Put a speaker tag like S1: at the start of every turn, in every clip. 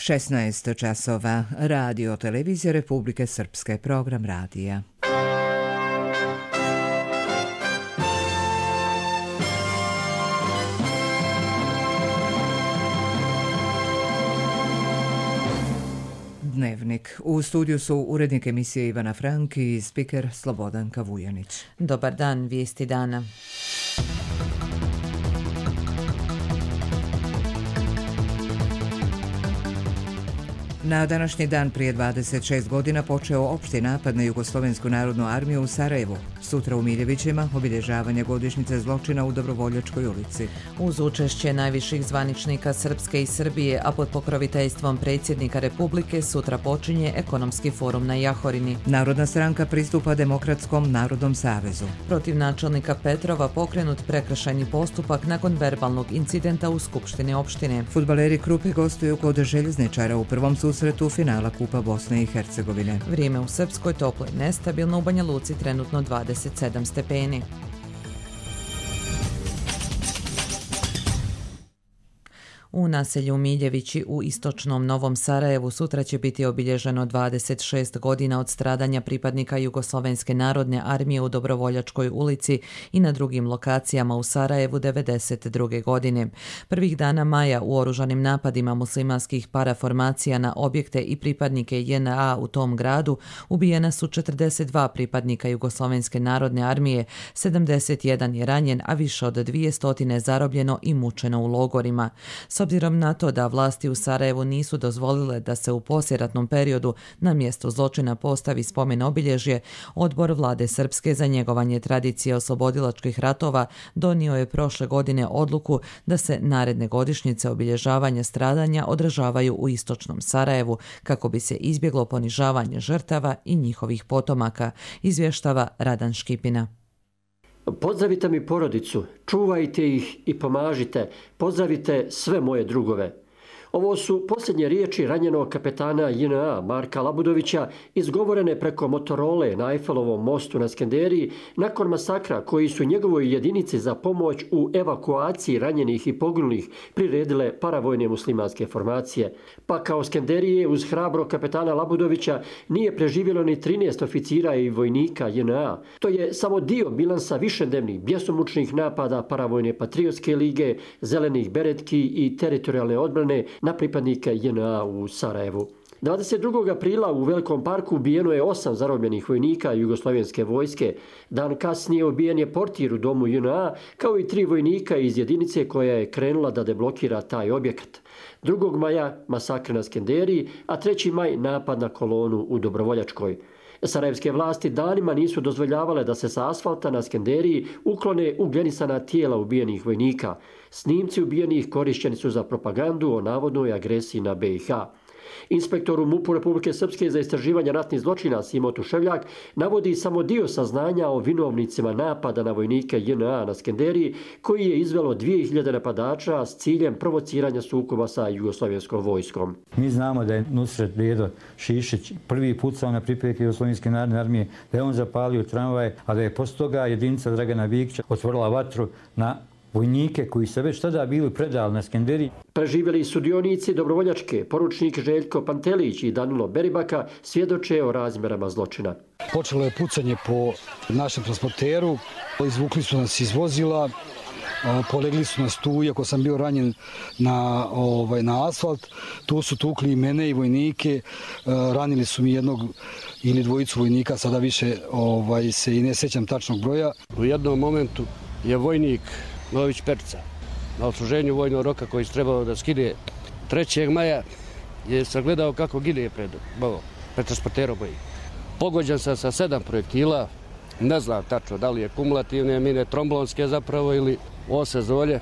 S1: 16 časova. Radio Televizija Republike Srpske. Program radija. Dnevnik. U studiju su urednik emisije Ivana Frank i spiker Slobodanka Vujanić.
S2: Dobar dan, vijesti dana.
S1: Na današnji dan prije 26 godina počeo opšti napad na Jugoslovensku narodnu armiju u Sarajevu. Sutra u Miljevićima obilježavanje godišnjice zločina u Dobrovoljačkoj ulici.
S2: Uz učešće najviših zvaničnika Srpske i Srbije, a pod pokroviteljstvom predsjednika Republike, sutra počinje ekonomski forum na Jahorini.
S1: Narodna stranka pristupa Demokratskom narodnom savezu.
S2: Protiv načelnika Petrova pokrenut prekršajni postupak nakon verbalnog incidenta u Skupštini opštine.
S1: Fudbaleri Krupe gostuju kod Željezničara u prvom susretu finala Kupa Bosne i Hercegovine.
S2: Vrijeme u Srpskoj toplo i nestabilno, u Banja Luci trenutno 27 stepeni. U naselju Miljevići u istočnom Novom Sarajevu sutra će biti obilježeno 26 godina od stradanja pripadnika Jugoslovenske narodne armije u Dobrovoljačkoj ulici i na drugim lokacijama u Sarajevu 1992. godine. Prvih dana maja u oružanim napadima muslimanskih paraformacija na objekte i pripadnike JNA u tom gradu ubijena su 42 pripadnika Jugoslovenske narodne armije, 71 je ranjen, a više od 200 zarobljeno i mučeno u logorima. S obzirom na to da vlasti u Sarajevu nisu dozvolile da se u poslijeratnom periodu na mjestu zločina postavi spomen obilježje, Odbor Vlade Srpske za njegovanje tradicije oslobodilačkih ratova donio je prošle godine odluku da se naredne godišnjice obilježavanja stradanja održavaju u istočnom Sarajevu kako bi se izbjeglo ponižavanje žrtava i njihovih potomaka, izvještava Radan Škipina.
S3: Pozdravite mi porodicu, čuvajte ih i pomažite, pozdravite sve moje drugove. Ovo su posljednje riječi ranjenog kapetana JNA Marka Labudovića izgovorene preko Motorole na Eiffelovom mostu na Skenderiji nakon masakra koji su njegovoj jedinici za pomoć u evakuaciji ranjenih i poginulih priredile paravojne muslimanske formacije. Pa kao Skenderije uz hrabro kapetana Labudovića nije preživjelo ni 13 oficira i vojnika JNA. To je samo dio bilansa višednevnih bjesomučnih napada paravojne patriotske lige, zelenih beretki i teritorijalne odbrane na pripadnike JNA u Sarajevu. 22. aprila u Velikom parku ubijeno je 8 zarobljenih vojnika Jugoslovenske vojske. Dan kasnije ubijen je portir u domu JNA, kao i 3 vojnika iz jedinice koja je krenula da deblokira taj objekat. 2. maja masakr na Skenderiji, a 3. maj napad na kolonu u Dobrovoljačkoj. Sarajevske vlasti danima nisu dozvoljavale da se sa asfalta na Skenderiji uklone ugljenisana tijela ubijenih vojnika. Snimci ubijenih korišćeni su za propagandu o navodnoj agresiji na BiH. Inspektor u MUP-u Republike Srpske za istraživanje ratnih zločina Simo Tuševljak navodi samo dio saznanja o vinovnicima napada na vojnike JNA na Skenderiji, koji je izvelo 2000 napadača s ciljem provociranja sukoba sa jugoslovenskom vojskom.
S4: Mi znamo da je Nusret Bedo Šišić prvi pucao na pripadnike Jugoslovenske narodne armije, da je on zapalio tramvaj, a da je poslije toga jedinica Dragana Vikića otvorila vatru na vojnike koji se već tada bili predali na Skenderiji.
S3: Preživjeli sudionici Dobrovoljačke, poručnik Željko Pantelić i Danilo Beribaka, svjedoče o razmjerama zločina.
S5: Počelo je pucanje po našem transporteru, izvukli su nas iz vozila, polegli su nas tu, iako sam bio ranjen na asfalt. Tu su tukli i mene i vojnike, ranili su mi jednog ili dvojicu vojnika, sada više se i ne sjećam tačnog broja.
S6: U jednom momentu je vojnik Nović Perca na odsluženju vojnog roka koji se trebao da skine 3. maja je sagledao kako gine pred transporterom mojim. Pogođen sam sa 7 projektila, ne znam tačno da li je kumulativne mine, tromblonske zapravo ili ose zolje.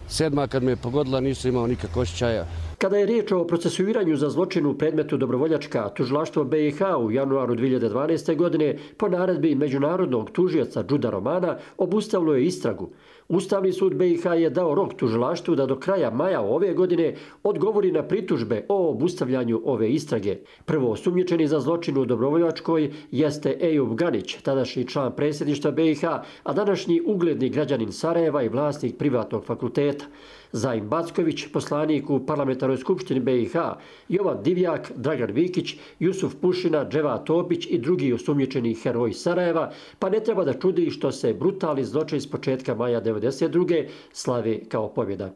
S6: 7. kad me je pogodila nisam imao nikakvog osjećaja.
S3: Kada je riječ o procesuiranju za zločin u predmetu Dobrovoljačka, tužilaštvo BiH u januaru 2012. godine po naredbi međunarodnog tužioca Džuda Romana obustavilo je istragu. Ustavni sud BiH je dao rok tužilaštvu da do kraja maja ove godine odgovori na pritužbe o obustavljanju ove istrage. Prvo osumnjičeni za zločin u Dobrovoljačkoj jeste Ejub Ganić, tadašnji član predsjedništva BiH, a današnji ugledni građanin Sarajeva i vlasnik privatnog fakulteta. Zajim Backović, poslanik u Parlamentarnoj skupštini BiH, Jovan Divjak, Dragan Vikić, Jusuf Pušina, Dževa Topić i drugi osumnjičeni heroji Sarajeva, pa ne treba da čudi što se brutalni zločin s početka maja 1992. slavi kao pobjeda.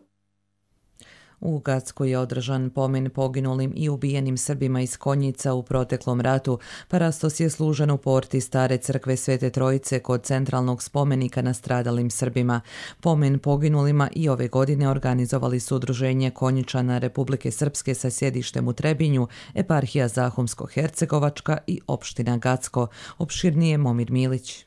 S2: U Gacku je održan pomen poginulim i ubijenim Srbima iz Konjica u proteklom ratu. Parastos je služen u porti stare crkve Svete Trojice kod centralnog spomenika nastradalim Srbima. Pomen poginulima i ove godine organizovali su Udruženje Konjičana Republike Srpske sa sjedištem u Trebinju, eparhija Zahumsko-Hercegovačka i opština Gacko. Opširnije Momir Milić.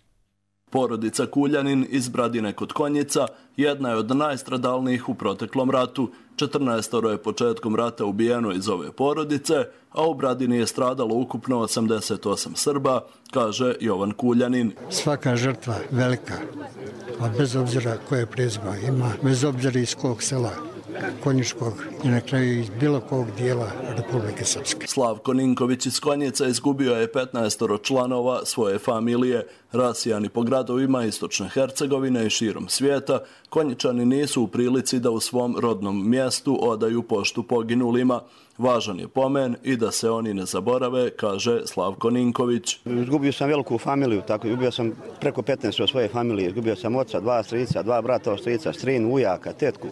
S7: Porodica Kuljanin iz Bradine kod Konjica jedna je od najstradalnijih u proteklom ratu. 14 je početkom rata ubijeno iz ove porodice, a u Bradini je stradalo ukupno 88 Srba, kaže Jovan Kuljanin.
S8: Svaka žrtva velika, a bez obzira koje prezima ima, bez obzira iz kog sela Konjičkog i na kraju iz bilo kog dijela Republike Srpske.
S7: Slavko Ninković iz Konjica izgubio je 15 članova svoje familije. Rasijani po gradovima istočne Hercegovine i širom svijeta, Konjičani nisu u prilici da u svom rodnom mjestu odaju poštu poginulima. Važan je pomen i da se oni ne zaborave, kaže Slavko Ninković.
S9: Izgubio sam veliku familiju, tako izgubio sam preko 15 od svoje familije. Izgubio sam oca, 2 strica, 2 brata od strica, strinu, ujaka, tetku.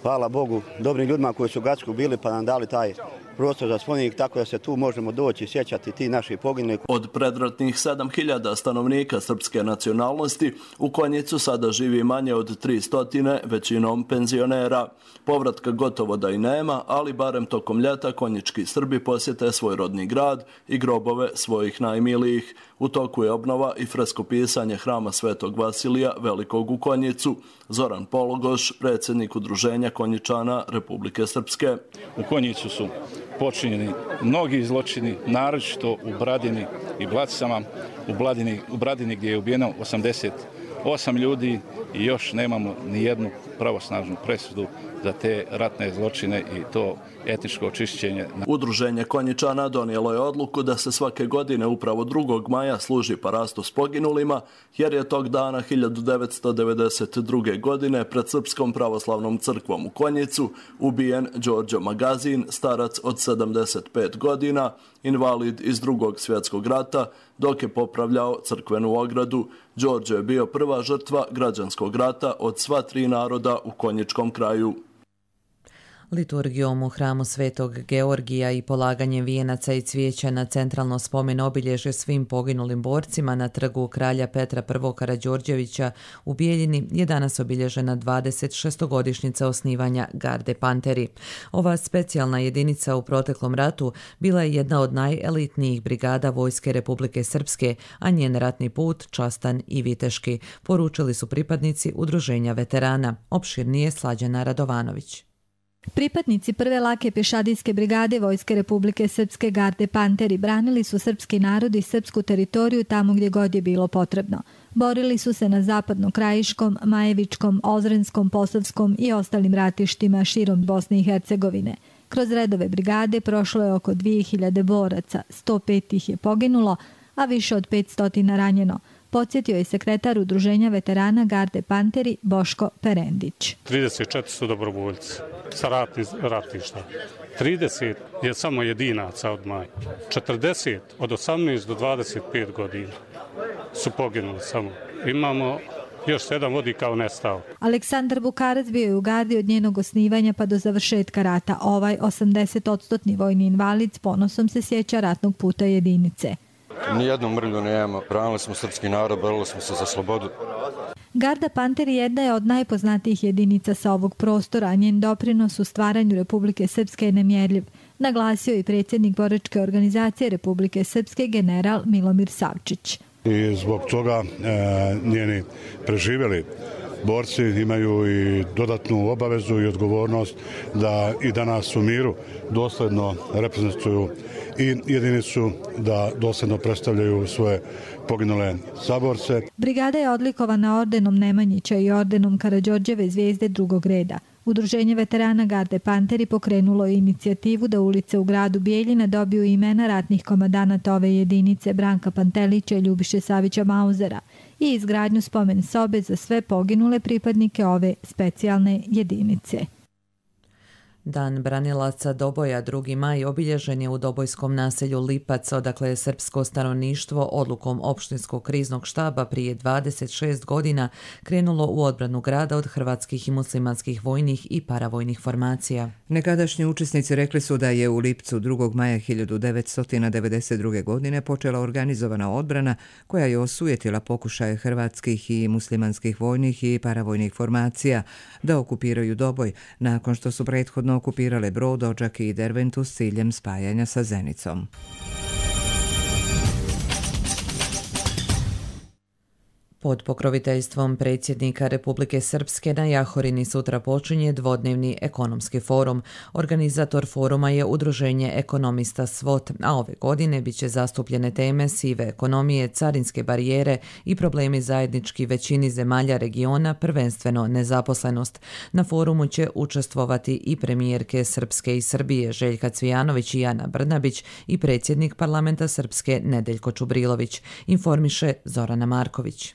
S9: Hvala Bogu, dobrim ljudima koji su u Gacku bili pa nam dali taj prostor za spomenik, tako da se tu možemo doći i sjećati ti naši poginuli.
S7: Od predratnih 7000 stanovnika srpske nacionalnosti u Konjicu sada živi manje od 300, većinom penzionera. Povratka gotovo da i nema, ali barem tokom ljeta konjički Srbi posjete svoj rodni grad i grobove svojih najmilijih. U toku je obnova i freskopisanje hrama Svetog Vasilija Velikog u Konjicu. Zoran Pologoš, predsjednik Udruženja Konjičana Republike Srpske.
S10: U Konjicu su počinjeni mnogi zločini, naročito u Bradini i Blatcama, u Bradini gdje je ubijeno 88 ljudi i još nemamo ni jednu pravosnažnu presudu za te ratne zločine i to etničko očišćenje.
S7: Udruženje Konjičana donijelo je odluku da se svake godine upravo 2. maja služi parastos poginulima, jer je tog dana 1992. godine pred Srpskom pravoslavnom crkvom u Konjicu ubijen Đorđo Magazin, starac od 75 godina, invalid iz Drugog svjetskog rata, dok je popravljao crkvenu ogradu. Đorđo je bio prva žrtva građanskog rata od sva 3 naroda u konjičkom kraju.
S2: Liturgijom u hramu Svetog Georgija i polaganjem vijenaca i cvijeća na centralno spomen obilježje svim poginulim borcima na trgu kralja Petra I. Karađorđevića u Bijeljini je danas obilježena 26-godišnjica osnivanja Garde Panteri. Ova specijalna jedinica u proteklom ratu bila je jedna od najelitnijih brigada Vojske Republike Srpske, a njen ratni put častan i viteški, poručili su pripadnici Udruženja veterana. Opširnije Slađana Radovanović.
S11: Pripadnici prve lake pješadijske brigade Vojske Republike Srpske Garde Panteri branili su srpski narod i srpsku teritoriju tamo gdje god je bilo potrebno. Borili su se na zapadno-krajiškom, Majevičkom, Ozrenskom, Posavskom i ostalim ratištima širom Bosne i Hercegovine. Kroz redove brigade prošlo je oko 2000 boraca, 105 ih je poginulo, a više od 500 ranjeno. Podsjetio je sekretar Udruženja veterana Garde Panteri Boško Perendić.
S12: 34 su dobrovoljci sa ratišta. 30 je samo jedinaca od maja. 40 od 18 do 25 godina su poginuli samo. Imamo još 7 vodi kao nestao.
S11: Aleksandar Bukarac bio je u gardi od njenog osnivanja pa do završetka rata. Ovaj 80% vojni invalid s ponosom se sjeća ratnog puta jedinice.
S13: Nijednu mrlju nemamo. Branili smo srpski narod, borili smo se za slobodu.
S11: Garda Panteri jedna je od najpoznatijih jedinica sa ovog prostora, a njen doprinos u stvaranju Republike Srpske je nemjerljiv, naglasio i predsjednik boračke organizacije Republike Srpske general Milomir Savčić.
S14: I zbog toga njeni preživjeli borci imaju i dodatnu obavezu i odgovornost da i danas u miru dosledno reprezentuju i jedinicu, da dosljedno predstavljaju svoje poginule saborce.
S11: Brigada je odlikovana ordenom Nemanjića i ordenom Karađorđeve zvijezde drugog reda. Udruženje veterana Garde Panteri pokrenulo je inicijativu da ulice u gradu Bijeljina dobiju imena ratnih komandanata ove jedinice Branka Pantelića i Ljubiše Savića Mauzera i izgradnju spomen sobe za sve poginule pripadnike ove specijalne jedinice.
S2: Dan branilaca Doboja 2. maj obilježen je u dobojskom naselju Lipac, odakle je srpsko stanovništvo odlukom opštinskog kriznog štaba prije 26 godina krenulo u odbranu grada od hrvatskih i muslimanskih vojnih i paravojnih formacija.
S1: Nekadašnji učesnici rekli su da je u Lipcu 2. maja 1992. godine počela organizovana odbrana koja je osujetila pokušaje hrvatskih i muslimanskih vojnih i paravojnih formacija da okupiraju Doboj, nakon što su prethodno okupirale Brod, Odžak i Derventu s ciljem spajanja sa Zenicom.
S2: Pod pokroviteljstvom predsjednika Republike Srpske na Jahorini sutra počinje dvodnevni ekonomski forum. Organizator foruma je Udruženje ekonomista SWOT, a ove godine bit će zastupljene teme sive ekonomije, carinske barijere i problemi zajednički većini zemalja regiona, prvenstveno nezaposlenost. Na forumu će učestvovati i premijerke Srpske i Srbije Željka Cvijanović i Ana Brnabić i predsjednik parlamenta Srpske Nedeljko Čubrilović, informiše Zorana Marković.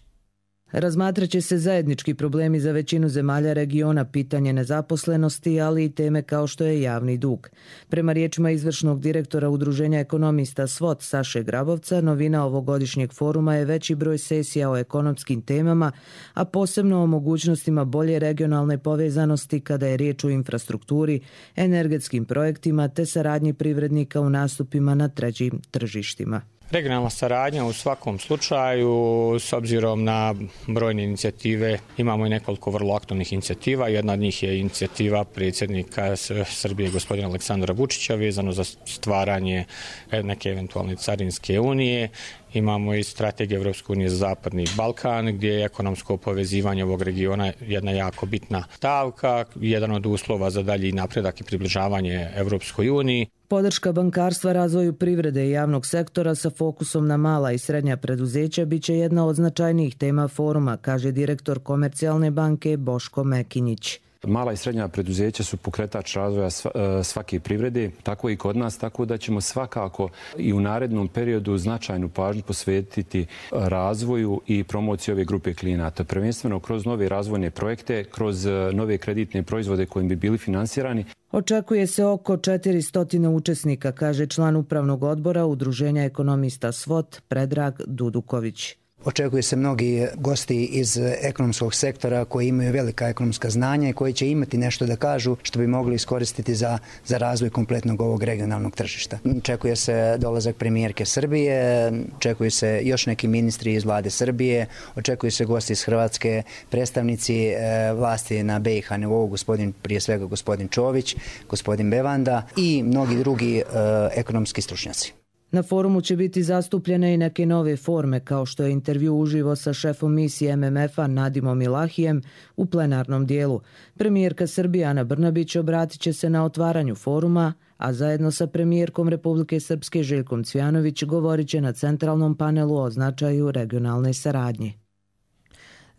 S15: Razmatrat će se zajednički problemi za većinu zemalja regiona, pitanje nezaposlenosti, ali i teme kao što je javni dug. Prema riječima izvršnog direktora Udruženja ekonomista SWOT Saše Grabovca, novina ovogodišnjeg foruma je veći broj sesija o ekonomskim temama, a posebno o mogućnostima bolje regionalne povezanosti kada je riječ o infrastrukturi, energetskim projektima te saradnji privrednika u nastupima na trećim tržištima.
S16: Regionalna saradnja u svakom slučaju, s obzirom na brojne inicijative, imamo i nekoliko vrlo aktualnih inicijativa. Jedna od njih je inicijativa predsjednika Srbije gospodina Aleksandra Vučića vezano za stvaranje neke eventualne carinske unije. Imamo i strategiju Evropske unije za Zapadni Balkan, gdje je ekonomsko povezivanje ovog regiona jedna jako bitna stavka, jedan od uslova za dalji napredak i približavanje Evropskoj uniji.
S15: Podrška bankarstva razvoju privrede i javnog sektora sa fokusom na mala i srednja preduzeća biće jedna od značajnijih tema foruma, kaže direktor Komercijalne banke Boško Mekinjić.
S17: Mala i srednja preduzeća su pokretač razvoja svake privrede, tako i kod nas, tako da ćemo svakako i u narednom periodu značajnu pažnju posvetiti razvoju i promociji ove grupe klijenata. Prvenstveno kroz nove razvojne projekte, kroz nove kreditne proizvode kojim bi bili finansirani.
S15: Očekuje se oko 400 učesnika, kaže član upravnog odbora Udruženja ekonomista SWOT Predrag Duduković.
S18: Očekuje se mnogi gosti iz ekonomskog sektora koji imaju velika ekonomska znanja i koji će imati nešto da kažu što bi mogli iskoristiti za razvoj kompletnog ovog regionalnog tržišta. Očekuje se dolazak premijerke Srbije, očekuju se još neki ministri iz vlade Srbije, očekuju se gosti iz Hrvatske, predstavnici vlasti na BiH nivou, prije svega gospodin Čović, gospodin Bevanda i mnogi drugi ekonomski stručnjaci.
S15: Na forumu će biti zastupljene i neke nove forme, kao što je intervju uživo sa šefom misije MMF-a Nadimom Ilahijem u plenarnom dijelu. Premijerka Srbije Ana Brnabić obratit će se na otvaranju foruma, a zajedno sa premijerkom Republike Srpske Željkom Cvijanović govorit će na centralnom panelu o značaju regionalne saradnje.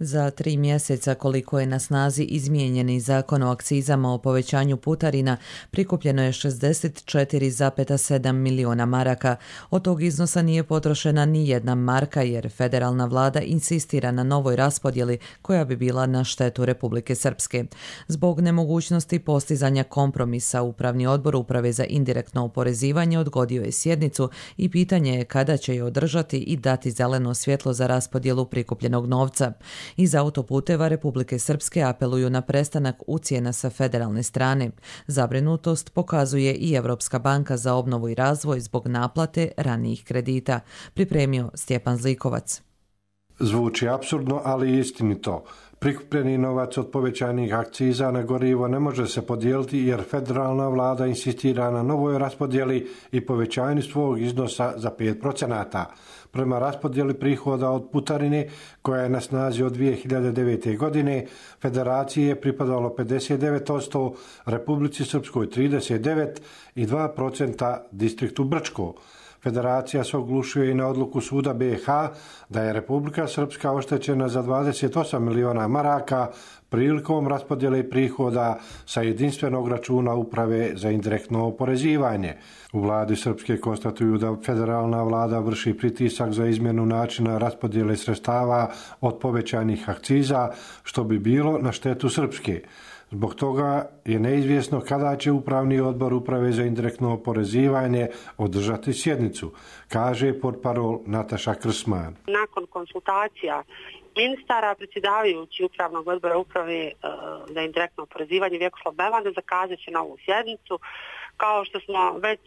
S2: Za 3 mjeseca koliko je na snazi izmijenjeni zakon o akcizama o povećanju putarina, prikupljeno je 64,7 miliona maraka. Od tog iznosa nije potrošena ni jedna marka jer federalna vlada insistira na novoj raspodjeli koja bi bila na štetu Republike Srpske. Zbog nemogućnosti postizanja kompromisa, Upravni odbor Uprave za indirektno oporezivanje odgodio je sjednicu i pitanje je kada će je održati i dati zeleno svjetlo za raspodjelu prikupljenog novca. Iz autoputeva Republike Srpske apeluju na prestanak ucjena sa federalne strane. Zabrinutost pokazuje i Evropska banka za obnovu i razvoj zbog naplate ranijih kredita. Pripremio Stjepan Zlikovac.
S19: Zvuči apsurdno, ali istinito. Prikupljeni novac od povećanih akciza na gorivo ne može se podijeliti jer federalna vlada insistira na novoj raspodjeli i povećanju svog iznosa za 5%. Prema raspodjeli prihoda od putarine, koja je na snazi od 2009. godine, Federaciji je pripadalo 59%, Republici Srpskoj 39% i 2% distriktu Brčko. Federacija se oglušuje i na odluku suda BiH da je Republika Srpska oštećena za 28 miliona maraka prilikom raspodjele prihoda sa jedinstvenog računa Uprave za indirektno oporezivanje. U vladi Srpske konstatuju da federalna vlada vrši pritisak za izmjenu načina raspodjele sredstava od povećanih akciza, što bi bilo na štetu Srpske. Zbog toga je neizvjesno kada će Upravni odbor Uprave za indirektno oporezivanje održati sjednicu, kaže portparol Nataša Krsman.
S20: Nakon konsultacija ministara, predsjedavajući Upravnog odbora Uprave za indirektno oporezivanje Vjekoslav Bevanda zakazat će novu sjednicu. Kao što smo već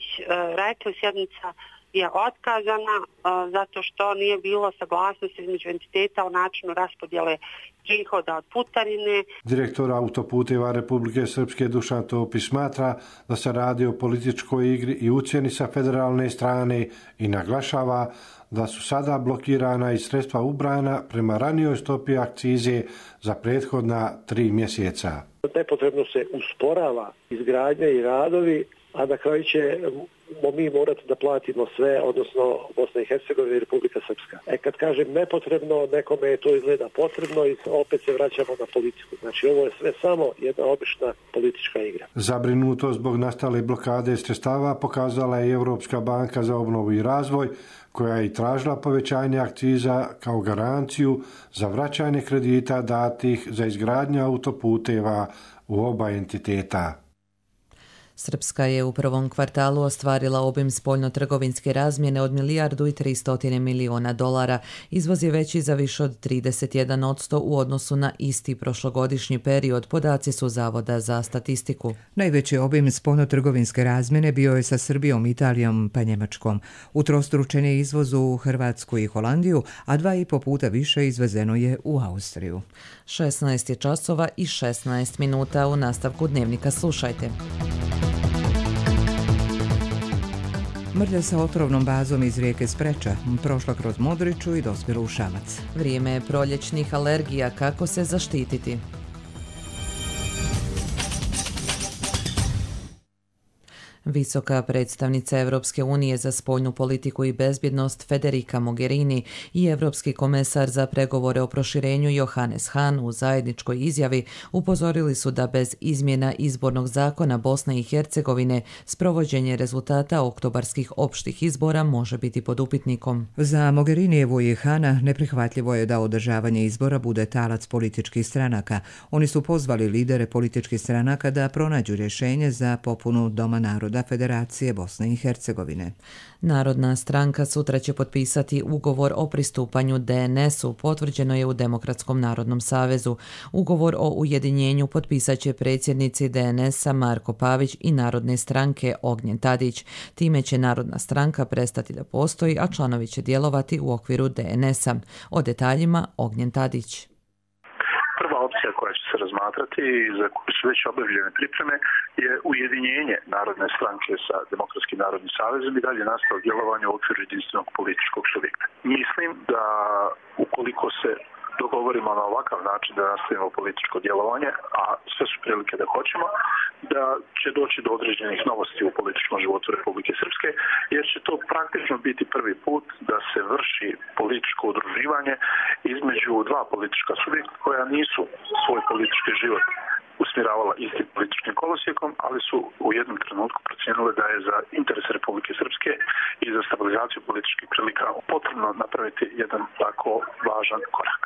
S20: rekli, sjednica je otkazana zato što nije bilo saglasnosti između entiteta o načinu raspodjele prihoda od putarine.
S19: Direktor autoputeva Republike Srpske Dušan Topić smatra da se radi o političkoj igri i ucjeni sa federalne strane i naglašava da su sada blokirana i sredstva ubrana prema ranijoj stopi akcize za prethodna 3 mjeseca.
S21: Nepotrebno se usporava izgradnja i radovi, a na kraju ćemo mi morati da platimo sve, odnosno Bosna i Hercegovina i Republika Srpska. Kad kažem nepotrebno, nekome je to izgleda potrebno i opet se vraćamo na politiku. Znači ovo je sve samo jedna obična politička igra.
S19: Zabrinutost zbog nastale blokade sredstava pokazala je Europska banka za obnovu i razvoj, koja je i tražila povećanje akciza kao garanciju za vraćanje kredita datih za izgradnju autoputeva u oba entiteta.
S2: Srpska je u prvom kvartalu ostvarila obim spoljno-trgovinske razmjene od $1,3 milijardi. Izvoz je veći za više od 31% u odnosu na isti prošlogodišnji period, podaci su Zavoda za statistiku.
S1: Najveći obim spoljno-trgovinske razmjene bio je sa Srbijom, Italijom pa Njemačkom. Utrostručen je izvoz u Hrvatsku i Holandiju, a 2,5 puta više izvezeno je u Austriju.
S2: 16 je časova i 16 minuta. U nastavku dnevnika slušajte.
S1: Mrlja sa otrovnom bazom iz rijeke Spreča prošla kroz Modriču i dospjela u Šamac.
S2: Vrijeme je proljećnih alergija, kako se zaštititi? Visoka predstavnica Europske unije za spoljnu politiku i bezbjednost Federica Mogherini i Europski komesar za pregovore o proširenju Johannes Hahn u zajedničkoj izjavi upozorili su da bez izmjena izbornog zakona Bosne i Hercegovine sprovođenje rezultata oktobarskih opštih izbora može biti pod upitnikom.
S1: Za Mogherinijevu i Hana neprihvatljivo je da održavanje izbora bude talac političkih stranaka. Oni su pozvali lidere političkih stranaka da pronađu rješenje za popunu Doma naroda Federacije Bosne i Hercegovine.
S2: Narodna stranka sutra će potpisati ugovor o pristupanju DNS-u, potvrđeno je u Demokratskom narodnom savezu. Ugovor o ujedinjenju potpisat će predsjednici DNS-a Marko Pavić i Narodne stranke Ognjen Tadić. Time će Narodna stranka prestati da postoji, a članovi će djelovati u okviru DNS-a. O detaljima Ognjen Tadić.
S22: Prva opcija koja će se razmatrati i za koju su već obavljene pripreme je ujedinjenje Narodne stranke sa Demokratskim narodnim savezom i dalje nastavak djelovanja u okviru jedinstvenog političkog subjekta. Mislim da ukoliko se dogovorimo na ovakav način da nastavimo političko djelovanje, a sve su prilike da hoćemo, da će doći do određenih novosti u političkom životu Republike Srpske, jer će to praktično biti prvi put da se vrši političko udruživanje između dva politička subjekta koja nisu svoj politički život usmjeravala istim političkim kolosijekom, ali su u jednom trenutku procijenile da je za interes Republike Srpske i za stabilizaciju političkih prilika potrebno napraviti jedan tako važan korak.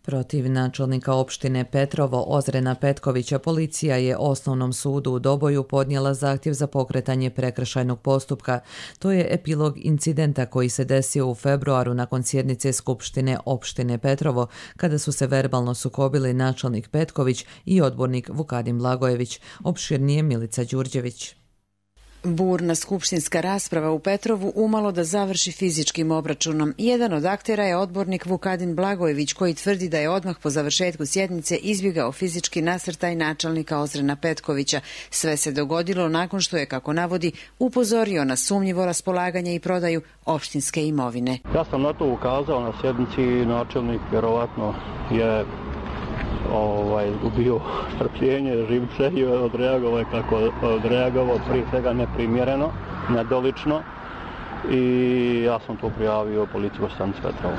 S2: Protiv načelnika opštine Petrovo Ozrena Petkovića policija je Osnovnom sudu u Doboju podnijela zahtjev za pokretanje prekršajnog postupka. To je epilog incidenta koji se desio u februaru nakon sjednice Skupštine opštine Petrovo, kada su se verbalno sukobili načelnik Petković i odbornik Vukadin Blagojević. Opširnije Milica Đurđević.
S4: Burna skupštinska rasprava u Petrovu umalo da završi fizičkim obračunom. Jedan od aktera je odbornik Vukadin Blagojević, koji tvrdi da je odmah po završetku sjednice izbjegao fizički nasrtaj načelnika Ozrena Petkovića. Sve se dogodilo nakon što je, kako navodi, upozorio na sumnjivo raspolaganje i prodaju opštinske imovine.
S5: Ja sam na to ukazao na sjednici, načelnik vjerovatno je ubio strpljenje, živce i odreagovao kako odreagovao, prije svega neprimjereno, nedolično, i ja sam to prijavio policijskoj stanici Petrovo.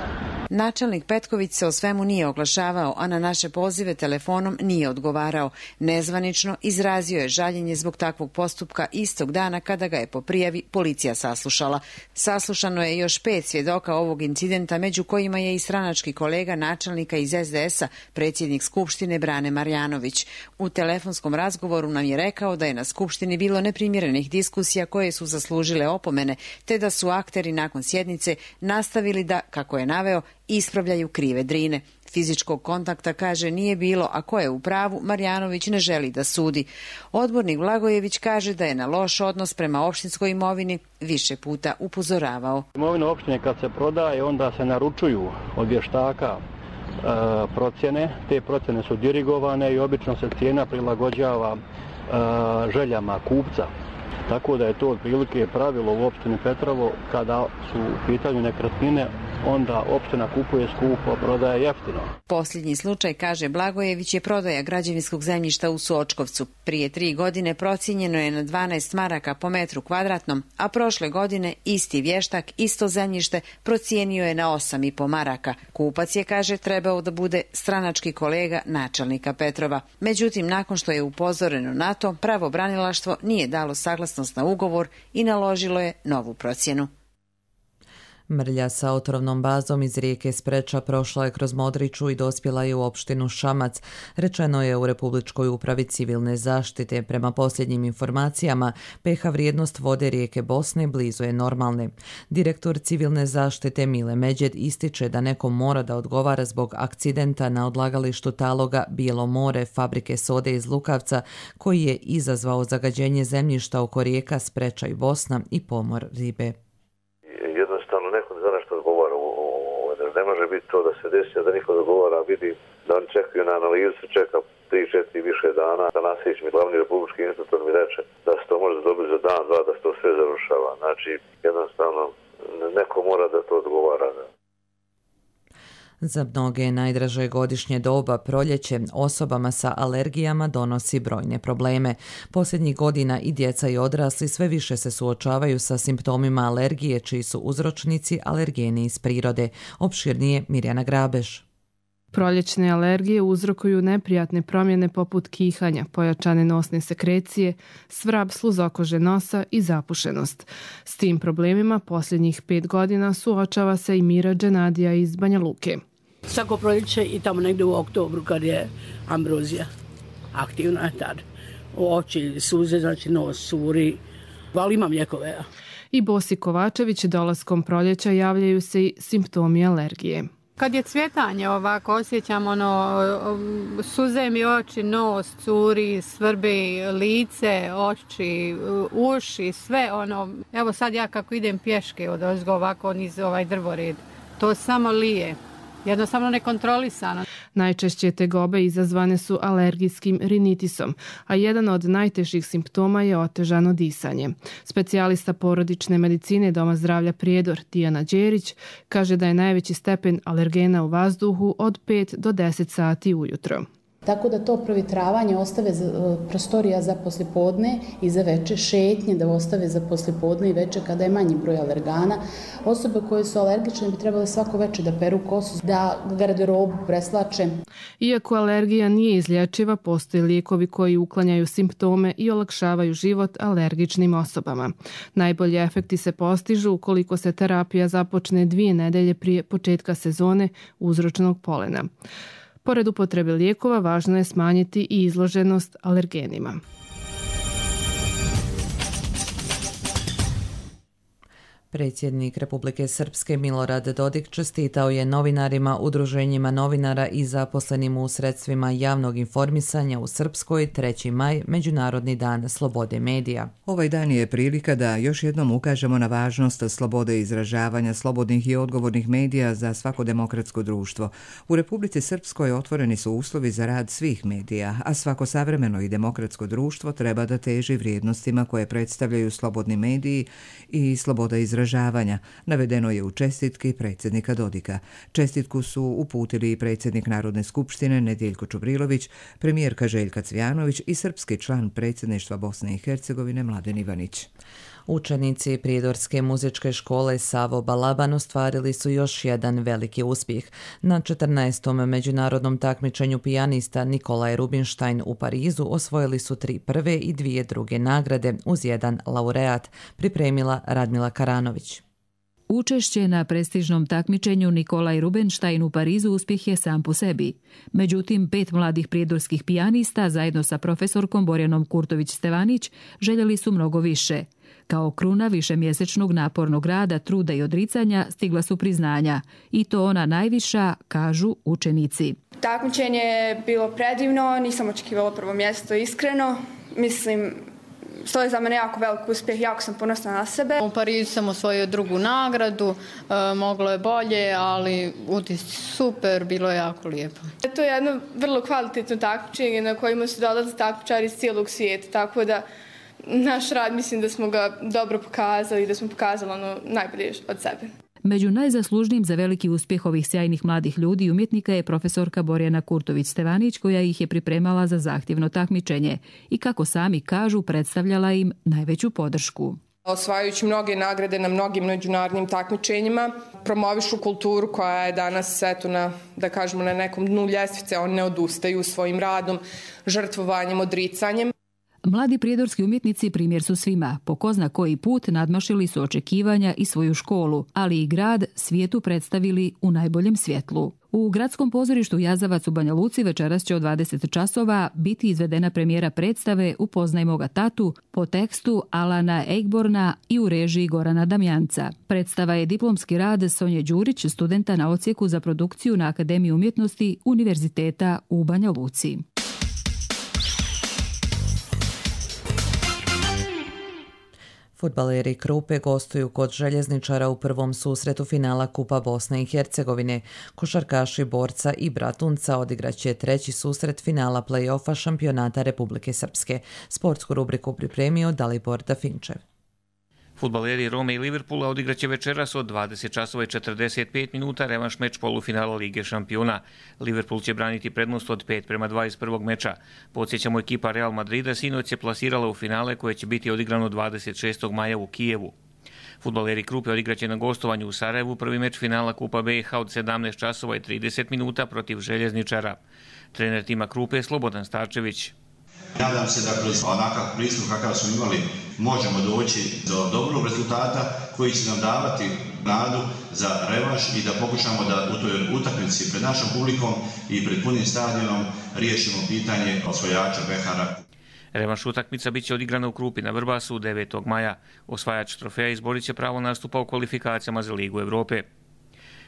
S4: Načelnik Petković se o svemu nije oglašavao, a na naše pozive telefonom nije odgovarao. Nezvanično izrazio je žaljenje zbog takvog postupka istog dana kada ga je po prijavi policija saslušala. Saslušano je još 5 svjedoka ovog incidenta, među kojima je i stranački kolega načelnika iz SDS-a, predsjednik Skupštine Brane Marjanović. U telefonskom razgovoru nam je rekao da je na Skupštini bilo neprimjerenih diskusija koje su zaslužile opomene, te da su akteri nakon sjednice nastavili da, kako je naveo, ispravljaju krive drine. Fizičkog kontakta, kaže, nije bilo, a ko je u pravu, Marjanović ne želi da sudi. Odbornik Blagojević kaže da je na loš odnos prema opštinskoj imovini više puta upozoravao.
S5: Imovina opštine kad se prodaje, onda se naručuju od vještaka procjene. Te procjene su dirigovane i obično se cijena prilagođava željama kupca. Tako da je to otprilike pravilo u opštini Petrovo, kada su u pitanju nekretnine, onda opština kupuje skupo, prodaje jeftino.
S4: Posljednji slučaj, kaže Blagojević, je prodaja građevinskog zemljišta u Sočkovcu. Prije 3 godine procijenjeno je na 12 maraka po metru kvadratnom, a prošle godine isti vještak, isto zemljište procijenio je na 8,5 maraka. Kupac je, kaže, trebao da bude stranački kolega načelnika Petrova. Međutim, nakon što je upozoreno na to, pravobranilaštvo nije dalo saglasnost na ugovor i naložilo je novu procjenu.
S2: Mrlja sa otrovnom bazom iz rijeke Spreča prošla je kroz Modriču i dospjela je u opštinu Šamac. Rečeno je u Republičkoj upravi civilne zaštite. Prema posljednjim informacijama, pH vrijednost vode rijeke Bosne blizu je normalne. Direktor civilne zaštite Mile Međed ističe da neko mora da odgovara zbog akcidenta na odlagalištu taloga Bijelo more fabrike sode iz Lukavca, koji je izazvao zagađenje zemljišta oko rijeka Spreča i Bosna i pomor ribe.
S23: Ne može biti to da se desi, da niko dogovara, vidi da oni čekaju na analizu, čeka 3-4 više dana, da Nasić mi, glavni republički institutor, mi reče da se to može dobiti za dan, dva, da se to sve završava. Znači, jednostavno, neko mora da to odgovara.
S2: Za mnoge najdraže godišnje doba, proljeće, osobama sa alergijama donosi brojne probleme. Posljednjih godina i djeca i odrasli sve više se suočavaju sa simptomima alergije, čiji su uzročnici alergeni iz prirode. Opširnije Mirjana Grabeš.
S24: Proljećne alergije uzrokuju neprijatne promjene poput kihanja, pojačane nosne sekrecije, svrab sluzokože nosa i zapušenost. S tim problemima posljednjih 5 godina suočava se i Mira Dženadija iz Banja Luke.
S25: Svako proljeće i tamo negdje u oktobru kad je ambrozija aktivna je tad. Oči, suze, znači nos, curi, ali imam lijekove.
S24: I Bosi Kovačević dolaskom proljeća javljaju se i simptomi alergije.
S26: Kad je cvjetanje ovako, osjećam suze mi oči, nos, curi, svrbi, lice, oči, uši, sve Evo sad ja kako idem pješke odozgo ovako niz ovaj drvored, to samo lije. Jednostavno nekontrolisano.
S24: Najčešće tegobe izazvane su alergijskim rinitisom, a jedan od najtežih simptoma je otežano disanje. Specijalista porodične medicine Doma zdravlja Prijedor Dijana Đerić kaže da je najveći stepen alergena u vazduhu od 5 do 10 sati ujutro.
S27: Tako da to provjetravanje ostave prostorija za poslijepodne i za veče, šetnje da ostave za poslijepodne i veče kada je manji broj alergana. Osobe koje su alergične bi trebale svako veče da peru kosu, da garderobu preslače.
S24: Iako alergija nije izlječiva, postoje lijekovi koji uklanjaju simptome i olakšavaju život alergičnim osobama. Najbolji efekti se postižu ukoliko se terapija započne 2 nedelje prije početka sezone uzročnog polena. Pored upotrebe lijekova, važno je smanjiti i izloženost alergenima.
S2: Predsjednik Republike Srpske Milorad Dodik čestitao je novinarima, udruženjima novinara i zaposlenim u sredstvima javnog informisanja u Srpskoj 3. maj, Međunarodni dan slobode medija.
S1: Ovaj dan je prilika da još jednom ukažemo na važnost slobode izražavanja, slobodnih i odgovornih medija za svako demokratsko društvo. U Republici Srpskoj otvoreni su uslovi za rad svih medija, a svako savremeno i demokratsko društvo treba da teži vrijednostima koje predstavljaju slobodni mediji i sloboda izražavanja, navedeno je u čestitki predsjednika Dodika. Čestitku su uputili i predsjednik Narodne skupštine Nedjeljko Čubrilović, premijerka Željka Cvijanović i srpski član predsjedništva Bosne i Hercegovine Mladen Ivanić.
S2: Učenici Prijedorske muzičke škole Savo Balaban ostvarili su još jedan veliki uspjeh. Na 14. međunarodnom takmičenju pijanista Nikolaj Rubinštajn u Parizu osvojili su 3 prve i 2 druge nagrade uz jedan laureat, pripremila Radmila Karanović.
S3: Učešće na prestižnom takmičenju Nikolaj Rubinštajn u Parizu uspjeh je sam po sebi. Međutim, 5 mladih prijedorskih pijanista zajedno sa profesorkom Borjanom Kurtović-Stevanić željeli su mnogo više. Kao kruna višemjesečnog napornog rada, truda i odricanja stigla su priznanja. I to ona najviša, kažu učenici.
S6: Takmičenje je bilo predivno, nisam očekivala prvo mjesto, iskreno. Mislim, to je za mene jako velik uspjeh, jako sam ponosna na sebe.
S7: U Parizu sam osvojio 2. nagradu, moglo je bolje, ali utisci super, bilo je jako lijepo.
S6: To je jedno vrlo kvalitetno takmičenje na kojima su dolaze takmičari iz cijelog svijeta, tako da naš rad mislim da smo ga dobro pokazali i da smo pokazali ono najbolje od sebe.
S3: Među najzaslužnijim za veliki uspjeh ovih sjajnih mladih ljudi i umjetnika je profesorka Borjana Kurtović-Stevanić, koja ih je pripremala za zahtjevno takmičenje i, kako sami kažu, predstavljala im najveću podršku.
S8: Osvajajući mnoge nagrade na mnogim međunarodnim takmičenjima, promovišu kulturu koja je danas da kažemo, na nekom dnu ljestvice. Oni ne odustaju svojim radom, žrtvovanjem, odricanjem.
S3: Mladi prijedorski umjetnici primjer su svima. Po ko zna koji put nadmašili su očekivanja i svoju školu, ali i grad svijetu predstavili u najboljem svjetlu. U Gradskom pozorištu Jazavac u Banja Luci večeras će od 20 časova biti izvedena premijera predstave Upoznaj moga tatu po tekstu Alana Eichborna i u režiji Gorana Damjanca. Predstava je diplomski rad Sonje Đurić, studenta na odsjeku za produkciju na Akademiji umjetnosti Univerziteta u Banja Luci.
S2: Fudbaleri Krupe gostuju kod Željezničara u prvom susretu finala Kupa Bosne i Hercegovine. Košarkaši Borca i Bratunca odigraće 3. susret finala play-offa šampionata Republike Srpske. Sportsku rubriku pripremio Dalibor Dafinčev.
S9: Fudbaleri Rome i Liverpoola odigraće večeras od 20 časova i 45 minuta revanš meč polufinala Lige šampiona. Liverpool će braniti prednost od 5-2 iz prvog meča. Podsjećamo, ekipa Real Madrida sinoć se plasirala u finale koje će biti odigrano 26. maja u Kijevu. Fudbaleri Krupe odigraće na gostovanju u Sarajevu prvi meč finala Kupa BiH od 17 časova i 30 minuta protiv Željezničara. Trener tima Krupe je Slobodan Starčević.
S10: Nadam se da kroz onakav pristup kakav smo imali možemo doći do dobrog rezultata koji će nam davati nadu za revanš i da pokušamo da u toj utakmici pred našom publikom i pred punim stadionom riješimo pitanje osvajača Behara.
S9: Revanš utakmica biće odigrana u Krupi na Vrbasu 9. maja. Osvajač trofeja izborit će pravo nastupa u kvalifikacijama za Ligu Evrope.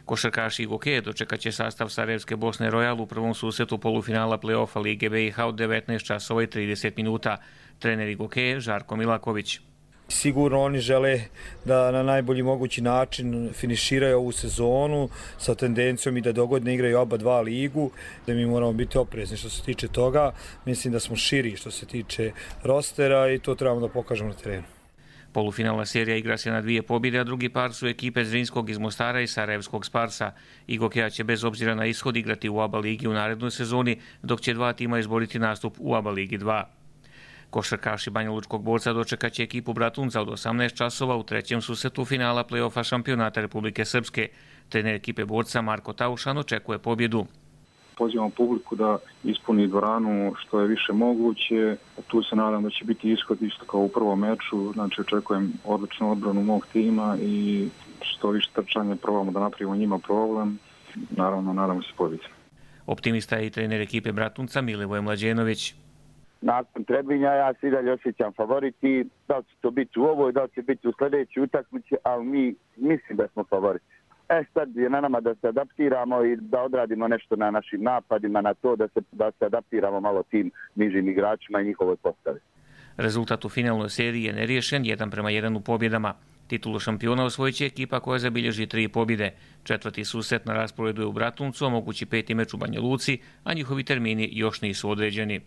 S9: Košarkaši i gokeje dočekat će sastav Sarajevske Bosne Royal u prvom susretu polufinala play-offa Lige BiH od 19 časova i 30 minuta. Trener i gokeje Žarko Milaković.
S12: Sigurno oni žele da na najbolji mogući način finiširaju ovu sezonu sa tendencijom i da dogodne igraju oba dva ligu, da mi moramo biti oprezni što se tiče toga. Mislim da smo širi što se tiče rostera i to trebamo da pokažemo na terenu.
S9: Polufinalna serija igra se na 2 pobjede, a drugi par su ekipe Zrinskog iz Mostara i Sarajevskog Sparsa. I gokeja će bez obzira na ishod igrati u ABA ligi u narednoj sezoni, dok će 2 tima izboriti nastup u ABA ligi 2. Košarkaši Banja Lučkog Borca dočekat će ekipu Bratunca od 18 časova u 3. susretu finala play-offa šampionata Republike Srpske. Trener ekipe Borca Marko Taušan očekuje pobjedu.
S28: Pozivam publiku da ispuni dvoranu što je više moguće. Tu se nadam da će biti ishod isto kao u prvom meču. Znači očekujem odličnu odbranu mog tima i što više trčanja probamo da napravimo njima problem. Naravno, nadamo se pobjedi.
S9: Optimista je i trener ekipe Bratunca Milivoj Mlađenović.
S11: nakon Trebinja ja se i dalje osjećam favoriti. Da li će to biti u ovoj, da li će biti u sljedećoj utakmici, ali mi mislim da smo favoriti. Sad je na nama da se adaptiramo i da odradimo nešto na našim napadima, na to da se adaptiramo malo tim nižim igračima i njihovoj postavi.
S9: Rezultat u finalnoj seriji je neriješen, 1:1 u pobjedama. Titulu šampiona osvojit će ekipa koja zabilježi 3 pobjede. 4. susret na rasporedu je u Bratuncu, a mogući 5. meč u Banja Luci, a njihovi termini još nisu određeni.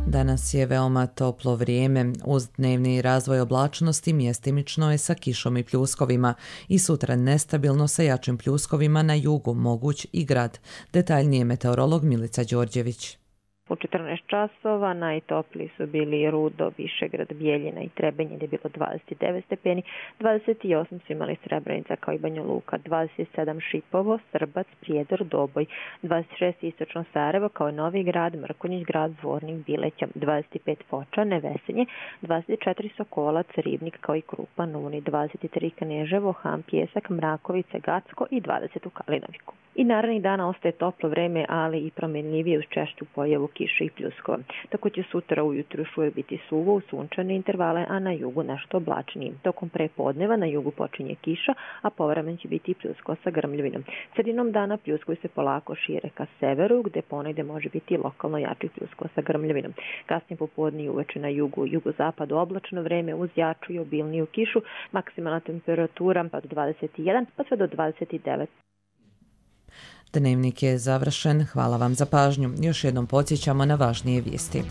S2: Danas je veoma toplo vrijeme. Uz dnevni razvoj oblačnosti mjestimično je sa kišom i pljuskovima i sutra nestabilno sa jačim pljuskovima na jugu, moguć i grad. Detaljnije meteorolog Milica Đorđević.
S13: U 14 časova najtopliji su bili Rudo, Višegrad, Bijeljina i Trebinje, gdje je bilo 29 stepeni, 28 su imali Srebrenica kao i Banja Luka, 27 Šipovo, Srbac, Prijedor, Doboj, 26 Istočno Sarajevo kao i Novi Grad, Mrkonjić Grad, Zvornik, Bileća, 25 Foča, Nevesenje, 24 Sokolac, Ribnik kao i Krupan, Uni, 23 Kneževo, Han, Pjesak, Mrakovice, Gacko i 20 u Kalinoviku. I narednih dana ostaje toplo vreme, ali i promjenljivije uz češću pojavu kiše i pljuskova. Tako će sutra ujutru još uvijek biti suvo u sunčane intervale, a na jugu nešto oblačnije. Tokom prepodneva na jugu počinje kiša, a povremen će biti i pljuskova sa grmljavinom. Sredinom dana pljuskovi se polako šire ka severu, gde ponegde može biti lokalno jačih pljuskova sa grmljavinom. Kasnije popodne i uveče na jugu, jugozapadu oblačno vreme uz jaču i obilniju kišu, maksimalna temperatura pa do 21 pa sve do 29.
S2: Dnevnik je završen. Hvala vam za pažnju. Još jednom podsjećamo na važnije vijesti.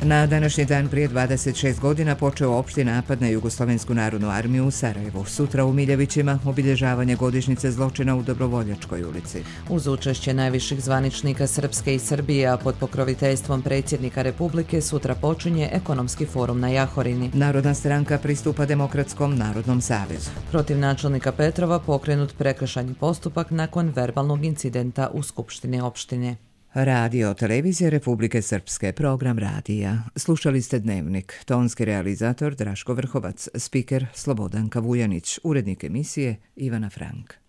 S1: Na današnji dan prije 26 godina počeo opšti napad na Jugoslovensku narodnu armiju u Sarajevu. Sutra u Miljevićima obilježavanje godišnjice zločina u Dobrovoljačkoj ulici.
S2: Uz učešće najviših zvaničnika Srpske i Srbije, a pod pokroviteljstvom predsjednika Republike, sutra počinje ekonomski forum na Jahorini.
S1: Narodna stranka pristupa Demokratskom narodnom savezu.
S2: Protiv načelnika Petrova pokrenut prekršajni postupak nakon verbalnog incidenta u Skupštini opštine.
S1: Radio Televizije Republike Srpske, program radija. Slušali ste Dnevnik. Tonski realizator Draško Vrhovac, spiker Slobodanka Vujanić, urednik emisije Ivana Frank.